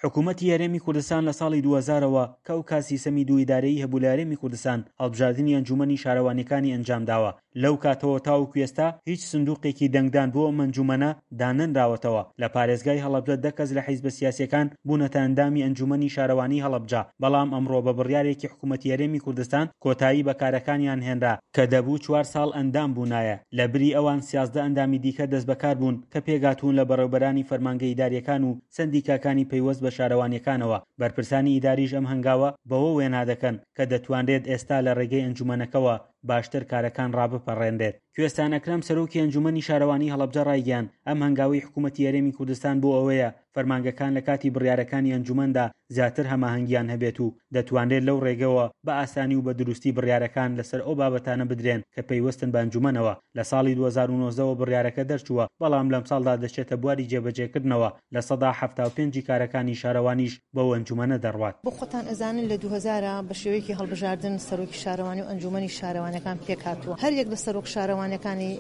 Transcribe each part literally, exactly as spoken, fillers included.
حکوومەتی هەرێمی کوردستان لە ساڵی دوو هەزارەوە کە ئەو کات سیستەمی دوو ئیدارەیی هەبوو لە هەرێمی کوردستان هەڵبژاردنی ئەنجوومەنی شارەوانیەکانی ئەنجامداوە. لەو کاتەوە تاوەکو ئێستا هیچ سندوقێکی دەنگدان بۆ ئەم ئەنجوومەنە دانەنراوەتەوە. لە پارێزگای هەڵەبجە دە کەس لە حیزبە سیاسیەکان بوونەتە ئەندامی ئەنجوومەنی شارەوانی هەڵەبجە، بەڵام ئەمڕۆ بە بڕیارێکی حکوومەتی هەرێمی کوردستان کۆتایی بە کارەکانیان هێنرا کە دەبوو چوار ساڵ ئەندام بوونایە. لە بری ئەوان سیازدە ئەندامی دیکە دەستبەکار بوون کە پێکهاتوون لە بەڕێوبەرانی فەرمانگە ئیداریەکان و سەندیکاکانی پەیوەست بە شارەوانیەکانەوە. بەرپرسانی ئیداریش ئەم هەنگاوە بەوە وێنا دەکەن کە دەتوانرێت ئێستا لە ڕێگەی ئەنجومەنەکەوە باشتر کارەکان ڕابپەڕێنرێت. کوێستان ئەکرەم سەرۆکی ئەنجومەنی شارەوانی هەڵەبجە ڕایگەیاند، ئەم هەنگاوەی حکومەتی هەرێمی کوردستان بۆ ئەوەیە فەرمانگەکان لە کاتی بڕیارەکانی ئەنجومەندا زیاتر هەماهەنگیان هەبێت و دەتوانرێت لەو ڕێگەوە بە ئاسانی و بە دروستی بڕیارەکان لەسەر ئەو بابەتانە بدرێن کە پەیوەستن بە ئەنجومەنەوە. لە ساڵی دوو هەزار و نۆزدە وە بڕیارەکە دەرچووە، بەڵام لەمساڵدا دەچێتە بواری جێبەجێکردنەوە، لە سەدا حەفتا و پێنج ی کارەکانی شارەوانیش بەو ئەنجومەنە دەڕوات. بۆ خۆتان ئەزانن لە دوو هەزار بە شێوەیەکی هەڵبژاردن سەرۆکی شارەوانی و ئەنجومەنی شارەوانیەکان پێکهاتووە، هەر یەک لە سەرۆک شارەوانیەکانی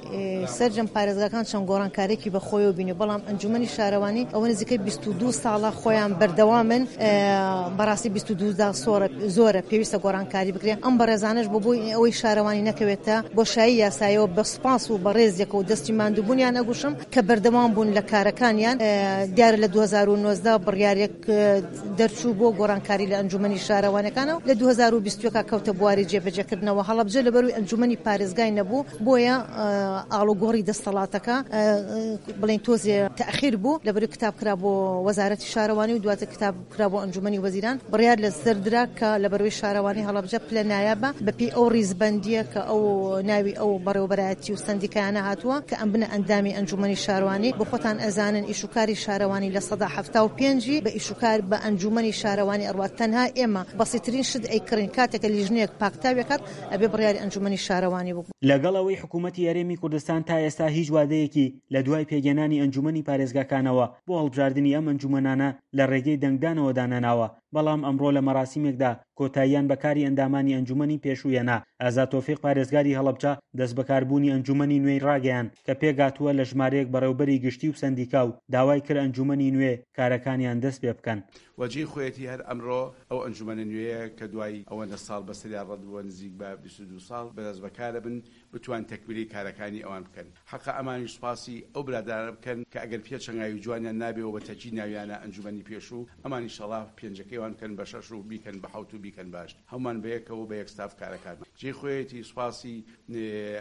سەرجەم پارێزگاکان چەند گۆڕانکارێکی بە خۆیەوە بینی، بەڵام ئەنجومەنی شارەوانی ئەوە نزیکەی بیست و دوو ساڵە خۆیان بەردەوامن، بەڕاستی بیست و دوو زۆرە پێویستە گۆڕانکاری بکرێت. ئەم بەڕێزانەش بۆ بۆی ئەوەی شارەوانی نەکەوێتە بۆشایی یاسایەوە بە سوپاس و بەڕێزیەکە و دەستی ماندووبوونیان ئەگوشم کە بەردەوام بوون لە کارەکانیان. دیارە لە دوو هەزار و نۆزدە بڕیارێک دەرچوو بۆ گۆڕانکاری لە ئەنجومەنی شارەوانەکانەوە، لە دوو هەزار و بیست و یەک کەوتە بواری جێبەجێکردنەوە. هەڵەبجە لەبەروی ئەنجومەنی پارێزگای نەبوو، بۆیە ئاڵوگۆڕی دەستەڵاتەکە بڵێن تۆزێ تەئخیر بوو، لەبەروی کتاب کرا بۆ وەزارەتی شارەوانی و دواتر کتاب کرا بۆ ئەنجومەنی وەزیران. بڕیار لەسەر درا کە لەبەروی شارەوانی هەڵەبجە پلە نایابە بەپێی ئەو ڕیزبەندیە کە ئەو ناوی ئەو بەڕێوەبەرایەتی و سەندیکایانە هاتووە کە ئەم بنە ئەندامی ئەنجومەنی شارەوانی. بۆ خۆتان ئەزانن ئیشوکاری شارەوانی لە سەدا حەفتا و پێنجی بە ئیشوکار بە ئەنجومەنی شارەوانی ئەڕوات. تەنها ئێمە بەسیترین شت ئەیکڕین کاتێکە لیژنەیەک پاکتاوێکات ئەبێ بڕیاری ئەنجومەنی شارەوانی بوو. لەگەڵ ئەوەی حکوومەتی هەرێمی کوردستان تا ئێستا هیچ وادەیەکی لە دوای پێکهێنانی ئەنجومەنی پارێزگاکانەوە بۆ هەڵبژاردنی ئەم ئەنجومەنانە لە ڕێگەی دەنگدانەوە دانەناوە، بەڵام ئەمڕۆ لە مەراسیمێکدا کۆتاییان بە کاری ئەندامانی ئەنجومەنی پێشوو هێنا. ئازاد تۆفیق پارێزگاری هەڵەبجە دەستبەکاربوونی ئەنجومەنی نوێی ڕاگەیاند کە پێکهاتووە لە ژمارەیەک بەڕێوبەری گشتی و سەندیکا و داوای کرد ئەنجومەنی نوێ کارەکانیان دەست پێ بکەن. و جێی خۆیەتی هەر ئەمڕۆ ئەو ئەنجومەنە نوێیە کە دوای ئەوەندە ساڵ بەسەریا ڕەت بووە نزیک بە بیست و دوو ساڵ بەدەستبەکارە بن بتوان تەکمیلەی کارەکانی ئەوان بکەن. حەقە ئەمانیش سوپاسی ئەو برادەرانە بکەن کە ئەگەر پێچەنگاوی جوانیان نابێ و بە تەکی ناویانە ئەنجومەنی پێشوو ئەمان ئیشەڵا پێنجەکەی وان بکەن بە شەش و بیکەن بە حەوت و بیکەن بە هەشت هەموومان بەیەکەوە و بە یەک ستاف کارەکانمان جێی خۆیەتی سوپاسی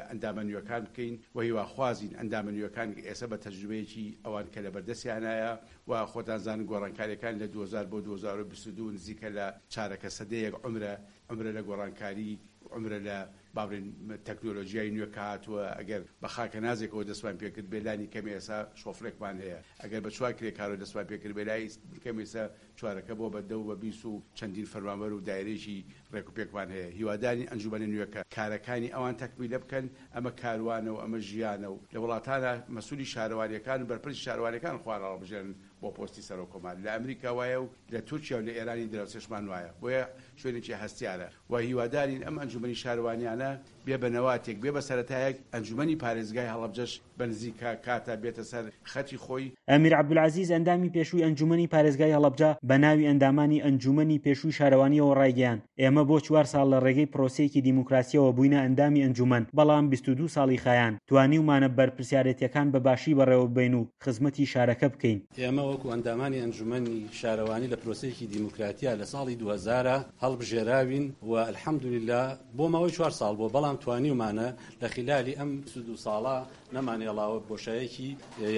ئەندامە نوێکان بکەین و هیواخوازین ئەندامە نوێکان ئێسە بە تەجروبەیەکی ئەوان کە لەبەردەستیانایە و خۆتان زانن گۆڕانکاریەکان لە دوو هەزار بۆ دوو هەزار و بیست و دوو نزیکە لە چارەکە سەدەیەک عومرە عومرە لە گۆڕانکاری عومرە لە با بڵێین تەکنۆلۆجیای نوێ کە هاتووە ئەگەر بە خاکەنازێکەوە دەستمان پێکرد بێ لانی کەم ئێسا شۆفرێکمان هەیە ئەگەر بە چوار کرێکارەوە دەستمان پێکرد بێ لای کەم ئێسا چوارەکە بۆ بە دە و بە بیست و چەندین فەرمانبەر و دایرەیەکی ڕێک و پێکمان هەیە هیوادارین ئەنجومەنە نوێکە کارەکانی ئەوان تەکمیلە بکەن ئەمە کاروانە و ئەمە ژیانە و لە وڵاتانا مەسولی شارەوانیەکان و بەرپرسی شارەوانیەکان خۆیان هەڵبژێرن بۆ پۆستی سەرۆک کۆمار لە ئەمریکا وایە و لە تورکیا و لە ئێرانی دراوسێشمان وایە بۆیە شوێنێکی هەستیارە و هیوادارین ئەم ئەنجومەنی شارەوانیانە بێ بە نەواتێک بێ بە سەرەتایەک ئەنجومەنی پارێزگای هەڵەبجەش بە نزیکە کاتە بێتە سەر خەتی خۆی. ئەمیر عەبدولعەزیز ئەندامی پێشووی ئەنجومەنی پارێزگای هەڵەبجە بە ناوی ئەندامانی ئەنجومەنی پێشووی شارەوانیەوە ڕایگەیاند، ئێمە بۆ چوار ساڵ لە ڕێگەی پرۆسەیەکی دیموکراسیەوە بووینە ئەندامی ئەنجومەن، بەڵام بیست و دوو ساڵی خایاند توانیومانە بەرپرسیارێتیەکان بە باشی بەڕێوەببەین و خزمەتی شارەکە بکەین. ئێمە وەکو ئەندامانی ئەنجومەنی شارەوانی لە پرۆسەیەکی دیموکراتیا لە ساڵی دوو هەزار هەڵبژێراوین و الحمدللە بۆ ماوەی چوار ساڵ بووە، بەڵام توانیومانە لە خیلالی ئەم بیست و دوو ساڵە نەمانهێڵاوە بۆشایەکی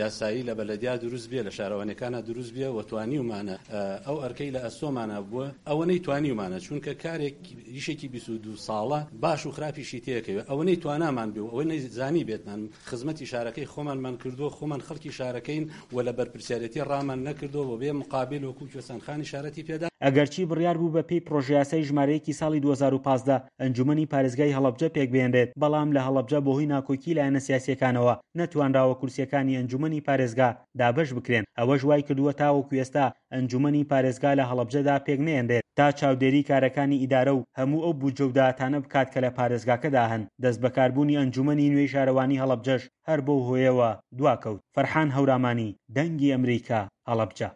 یاسایی لە بەلەدیا دروست بێ، لە شارەوانیەکانا دروست بێ و توانیومانە ئەو ئەرکەی لە ئەستۆمانا بووە ئەوەنەی توانیومانە، چونکە کارێک ئیشێکی بیست و دوو ساڵە باش و خراپیشی تێکەوێ ئەوەنەی توانامان بێ و ئەوەنەی زانیبێتمان خزمەتی شارەکەی خۆمانمان کردووە، خۆمان خەڵکی شارەکەین و لە بەرپرسیارێتی ڕامان نەکردووە و بێ مقابل وەکو کوێستان خانی شارەتی پێدا. ئەگەرچی بڕیار بوو بە پێی پڕۆژەیاسای ژمارە یەکی ساڵی دوو هەزار و پازدە ئەنجومەنی پارێزگای هەڵەبجە پێکبهێنرێت، بەڵام لە هەڵەبجە بەهۆی ناکۆکی لایەنە سیاسییەکانەوە نەتوانراوە کورسییەکانی ئەنجومەنی پارێزگا دابەش بکرێن، ئەوەش وایکردووە تاوەکو ئێستا ئەنجومەنی پارێزگا لە هەڵەبجەدا پێکنەیەنرێت تا چاودێری کارەکانی ئیدارە و هەموو ئەو بودجە و داهاتانە بکات کە لە پارێزگاکەدا هەن، دەستبەکاربوونی ئەنجومەنی نوێی شارەوانی هەڵەبجەش هەر بەو هۆیەوە دواکەوت. فەرحان هەورامانی، دەنگی ئەمریکا، هەڵەبجە.